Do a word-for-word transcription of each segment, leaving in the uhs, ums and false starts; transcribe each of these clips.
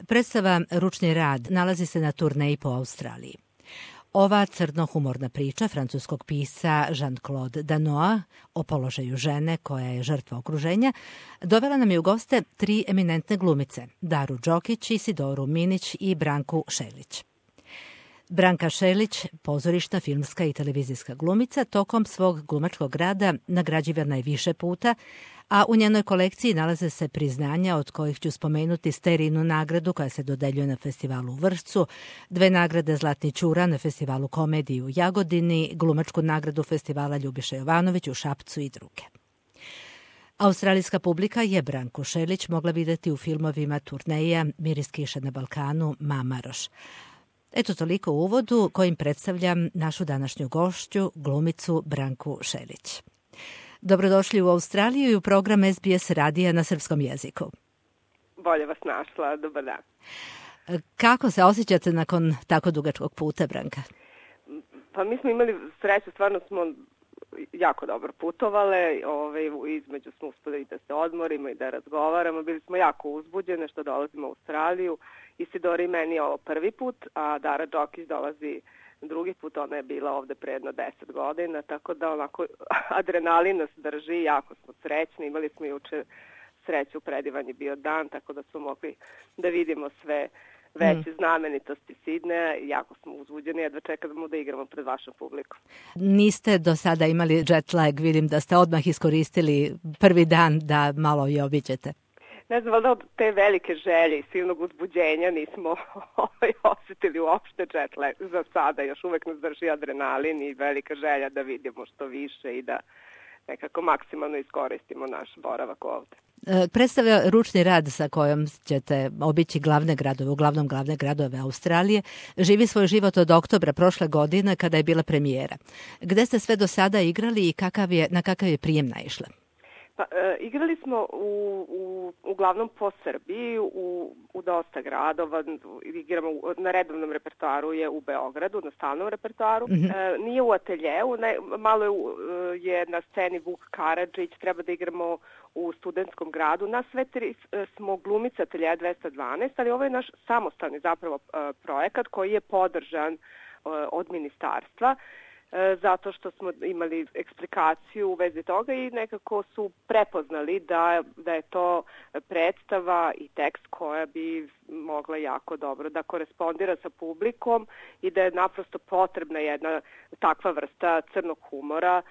Predstava Ručni rad nalazi se na turneji po Australiji. Ova crno-humorna priča francuskog pisca Jean-Claude Danoa o položaju žene koja je žrtva okruženja dovela nam je u goste tri eminentne glumice, Daru Đokić, Isidoru Minić i Branku Šelić. Branka Šelić, pozorišna, filmska i televizijska glumica, tokom svog glumačkog rada nagrađivana je više puta, a u njenoj kolekciji nalaze se priznanja od kojih ću spomenuti Sterijinu nagradu koja se dodeljuje na festivalu u Vršcu, dve nagrade Zlatni ćura na festivalu komedije u Jagodini, glumačku nagradu festivala Ljubiša Jovanović u Šapcu i druge. Australijska publika je Branku Šelić mogla videti u filmovima Turneja, Miris kiše na Balkanu, Mamaroš. Eto toliko u uvodu kojim predstavljam našu današnju gošću, glumicu Branku Šelić. Dobrodošli u Australiju i u program S B S radija na srpskom jeziku. Bolje vas našla, dobar dan. Kako se osjećate nakon tako dugačkog puta, Branka? Pa mi smo imali sreću, stvarno smo jako dobro putovale, ovaj, između smo uspeli i da se odmorimo i da razgovaramo, bili smo jako uzbuđene što dolazimo u Australiju. Isidori meni je ovo prvi put, a Dara Đokić dolazi drugi put, ona je bila ovde pre jedno deset godina, tako da onako adrenalin nas drži, jako smo srećni, imali smo juče sreću, predivan je bio dan, tako da smo mogli da vidimo sve veće mm. znamenitosti Sidneja i jako smo uzbuđeni, jedva čekamo da igramo pred vašom publikom. Niste do sada imali jet lag, vidim da ste odmah iskoristili prvi dan da malo i obiđete. Ne znam, valjda od te velike želje i silnog uzbuđenja nismo ovaj, osetili uopšte jet lag za sada. Još uvek nas drži adrenalin i velika želja da vidimo što više i da nekako maksimalno iskoristimo naš boravak ovde. Predstavlja Ručni rad sa kojom ćete obići glavne gradove, uglavnom glavne gradove Australije, živi svoj život od oktobra prošle godine kada je bila premijera. Gde ste sve do sada igrali i kakav je, na kakav je prijem naišla? Pa, e, igrali smo u, u, uglavnom po Srbiji, u, u dosta gradova, igramo u, na redovnom repertoaru je u Beogradu, na stalnom repertoaru. Mm-hmm. E, nije u ateljeu, ne, malo je, je na sceni Vuk Karadžić, treba da igramo u Studentskom gradu. Nas sve tri smo glumice ateljeja dvesta dvanaest, ali ovo je naš samostalni zapravo projekat koji je podržan od ministarstva, zato što smo imali eksplikaciju u vezi toga i nekako su prepoznali da, da je to predstava i tekst koja bi mogla jako dobro da korespondira sa publikom i da je naprosto potrebna jedna takva vrsta crnog humora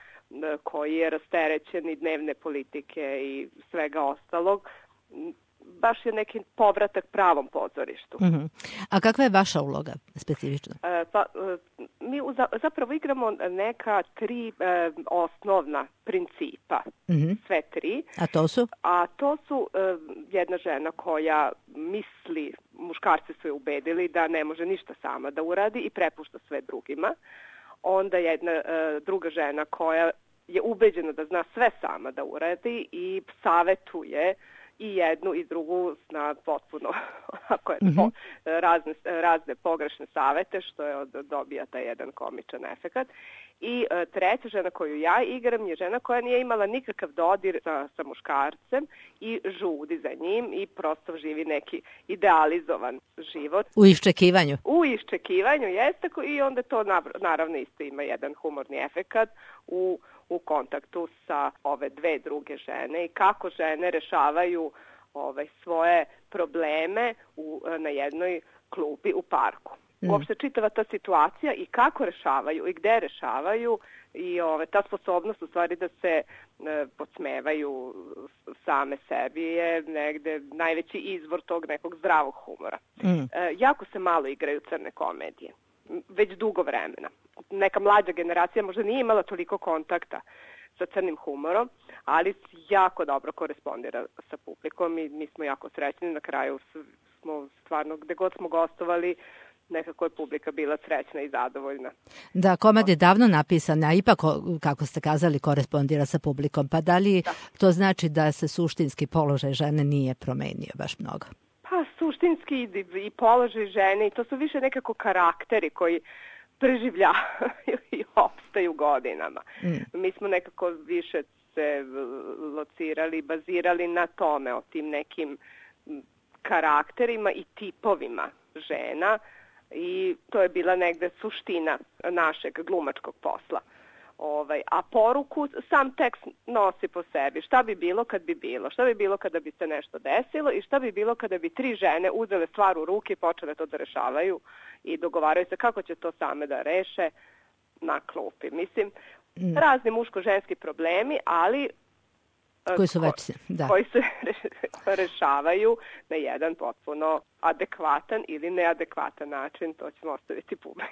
koji je rasterećen i dnevne politike i svega ostalog. Baš je neki povratak pravom pozorištu. Mm-hmm. A kakva je vaša uloga specifično? E, pa, mi zapravo igramo neka tri e, osnovna principa. Mm-hmm. Sve tri. A to su? A to su e, jedna žena koja misli, muškarci su je ubedili da ne može ništa sama da uradi i prepušta sve drugima. Onda jedna e, druga žena koja je ubeđena da zna sve sama da uradi i savetuje i jednu i drugu na potpuno ako je to, mm-hmm. razne, razne pogrešne savete, što je od, dobija taj jedan komičan efekat. I e, treća žena koju ja igram je žena koja nije imala nikakav dodir sa, sa muškarcem i žudi za njim i prosto živi neki idealizovan život. U iščekivanju. U iščekivanju, jeste, i onda to naravno isto ima jedan humorni efekat u u kontaktu sa ove dve druge žene i kako žene rešavaju ovaj, svoje probleme u, na jednoj klupi u parku. Mm. Uopšte čitava ta situacija i kako rešavaju i gde rešavaju i ove, ta sposobnost u stvari da se e, podsmevaju same sebi je negde najveći izvor tog nekog zdravog humora. Mm. E, jako se malo igraju crne komedije, već dugo vremena. Neka mlađa generacija možda nije imala toliko kontakta sa crnim humorom, ali jako dobro korespondira sa publikom i mi smo jako srećni. Na kraju smo stvarno, gde god smo gostovali, nekako je publika bila srećna i zadovoljna. Da, komad je davno napisan, a ipak, kako ste kazali, korespondira sa publikom. Pa da li da. to znači da se suštinski položaj žene nije promenio baš mnogo? Pa suštinski i, i položaj žene i to su više nekako karakteri koji preživljavaju i opstaju godinama. Mm. Mi smo nekako više se locirali, bazirali na tome, o tim nekim karakterima i tipovima žena i to je bila negde suština našeg glumačkog posla. Ovaj, a poruku sam tekst nosi po sebi. Šta bi bilo kad bi bilo? Šta bi bilo kada bi se nešto desilo i šta bi bilo kada bi tri žene uzele stvar u ruke i počele to da rešavaju i dogovaraju se kako će to same da reše na klupi. Mislim, mm. razni muško-ženski problemi, ali koji su već, da. koji se rešavaju na jedan potpuno adekvatan ili neadekvatan način, to ćemo ostaviti publici.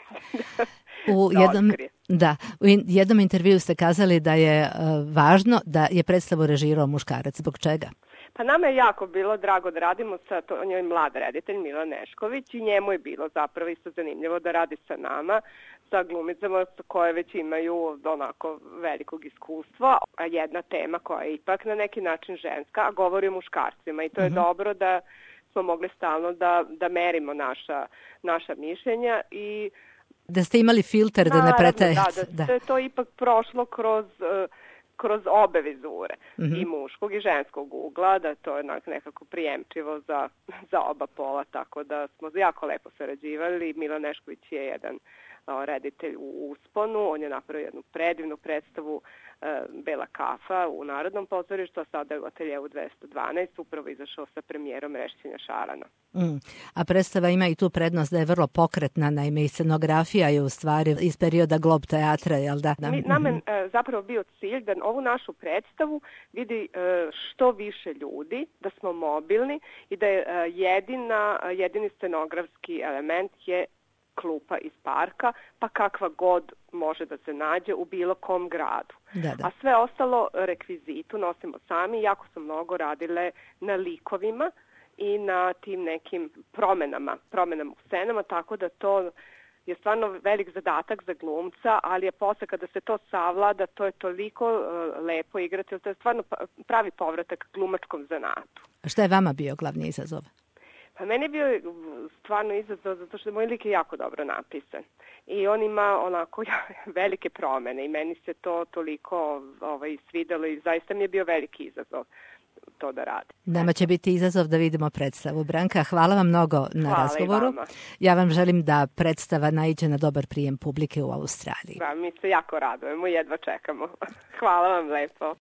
U jednom, da, u jednom intervju ste kazali da je uh, važno da je predstavu režirao muškarac. Zbog čega? Pa nama je jako bilo drago da radimo sa, to, on je mlad reditelj Milan Nešković i njemu je bilo zapravo isto zanimljivo da radi sa nama, sa glumicama koje već imaju onako velikog iskustva, a jedna tema koja je ipak na neki način ženska, a govori o muškarcima i to je uh-huh. dobro da smo mogli stalno da, da merimo naša, naša mišljenja i da ste imali filter da ne pretajete. Da, da, da je to ipak prošlo kroz kroz obe vizure, mm-hmm. i muškog i ženskog ugla, da to je nekako prijemčivo za, za oba pola, tako da smo jako lepo sarađivali. Milan Nešković je jedan o, reditelj u usponu, on je napravio jednu predivnu predstavu e, Bela kafa u Narodnom pozorištu, a sada je u ateljevu dvesta dvanaest upravo izašao sa premijerom Rešćenja šarana. Mm. A predstava ima i tu prednost da je vrlo pokretna, naime i scenografija je u stvari iz perioda Glob teatra, jel da? da? Mi, nama je e, zapravo bio cilj da ovu našu predstavu vidi e, što više ljudi, da smo mobilni i da je e, jedina, jedini scenografski element je klupa iz parka, pa kakva god može da se nađe u bilo kom gradu. Da, da. A sve ostalo rekvizitu nosimo sami, jako su mnogo radile na likovima i na tim nekim promenama, promenama u scenama, tako da to je stvarno velik zadatak za glumca, ali je posle kada se to savlada, to je toliko uh, lepo igrati, to je stvarno pravi povratak glumačkom zanatu. A šta je vama bio glavni izazov? Pa meni je bio stvarno izazov zato što moj lik je jako dobro napisan i on ima onako velike promene i meni se to toliko ovaj, svidelo i zaista mi je bio veliki izazov to da radi. Nama će biti izazov da vidimo predstavu. Branka, hvala vam mnogo na hvala razgovoru. Ja vam želim da predstava naiđe na dobar prijem publike u Australiji. Da, mi se jako radujemo i jedva čekamo. Hvala vam lepo.